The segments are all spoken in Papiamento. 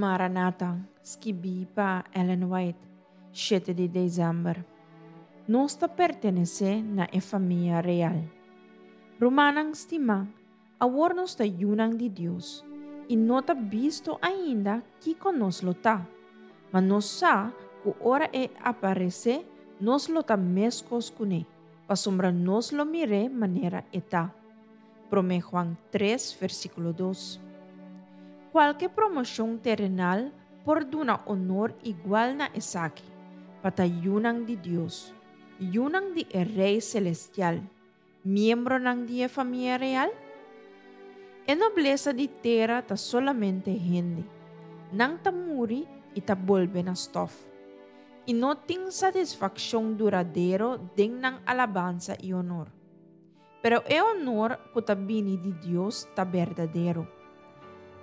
Maranata, skibí pa Ellen White, shete di desèmber. Nos ta pertenesé na e famia real. Rumannan stimá, awor nos ta yunan di Dios, i no ta bisto ainda kiko nos lo ta, ma nos sa ku ora e aparesé nos lo ta meskos kuné, pasobra nos lo mir'é manera e ta. Promé Juan tres, versíkulo dos. Kualke promoshon terenal por duna onor igual na esaki, pa ta yunan di Dios, yunan di e Rei selestial, miembronan di e famia real? E noblesa di tera ta solamente hende. Nan ta muri i ta bolbe na stòf. I no tin satisfakshon duradero den nan alabansa i onor. Pero e onor ku ta bini di Dios ta berdadero.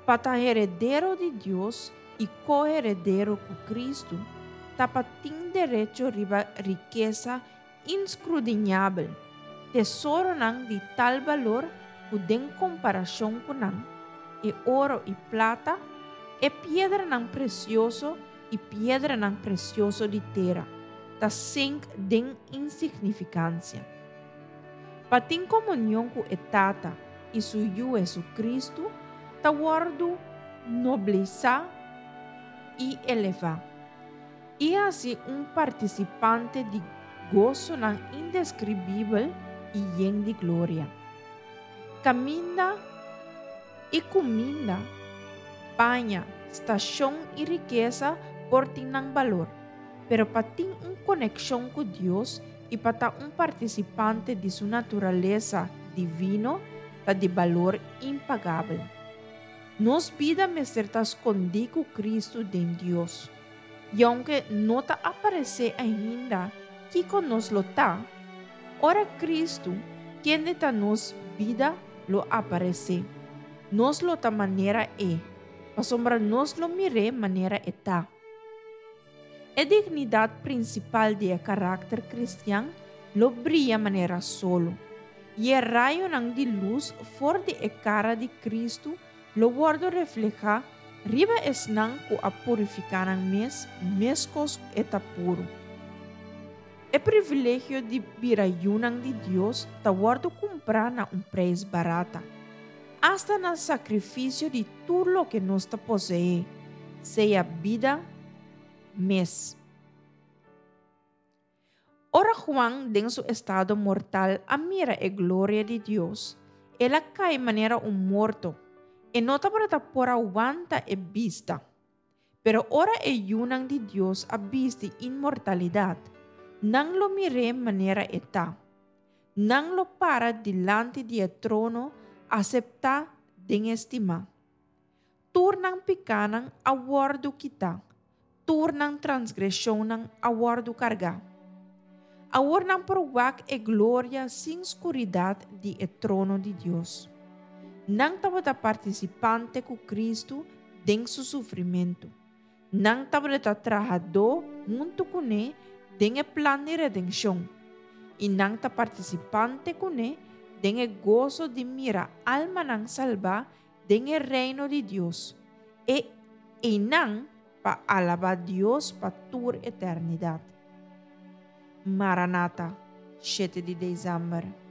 Pa ta heredero di Dios i ko-heredero ku Kristu ta pa tin derecho riba rikesa inskrudiñabel, tesoronan di tal balor ku den komparashon ku nan, e oro i plata, e piedranan presioso i piedranan presioso di tera, ta sink den insignifikansia. Pa tin komunion ku e Tata i su Yu Hesu-Kristu ta wòrdu noblisá i elevá, i hasi un partisipante di gosonan indeskribibel i yen di gloria. Kaminda i kuminda, paña, stashon i rikesa por tin nan balor, pero pa tin un konekshon ku Dios i pa ta un partisipante di su naturalesa divino ta di balor impagabel. Nos bida mester ta skondí ku Kristu den Dios. I ounke no ta aparesé ainda kiko nos lo ta, ora Kristu, kende ta nos bida, lo aparesé, nos lo ta manera E, pasobra nos lo mir'é manera E ta. E dignidat prinsipal di e karakter kristian lo bria manera solo, i e rayonan di lus for di e kara di Kristu lo wòrdu reflehá riba esnan ku a purifiká nan mes meskos ku e ta puru. E privilegio di bira yunan di Dios ta wòrdu kumprá na un preis barata, asta na sakrifisio di tur loke nos ta poseé, sea bida mes. Ora Juan den su estado mortal a mira e gloria di Dios, el a kai manera un morto. E no tabata por a wanta e bista. Pero ora e yunan di Dios a bisti inmortalidat, nan lo mir'é manera e ta. Nan lo para dilanti di e trono aseptá den e stimá. Tur nan pikánan a wòrdu kitá, tur nan transgreshonnan a wòrdu kargá. Awor nan por wak e gloria sin skuridat di e trono di Dios. Nan tabata partisipante ku Kristu den su sufrimentu. Nan tabata trahadó huntu kuné den e plan di redenshon, i nan ta partisipante kuné den e goso di mira almanan salbá den e Reino di Dios, e einan pa alabá Dios pa tur eternidat. Maranata, shete di desèmber.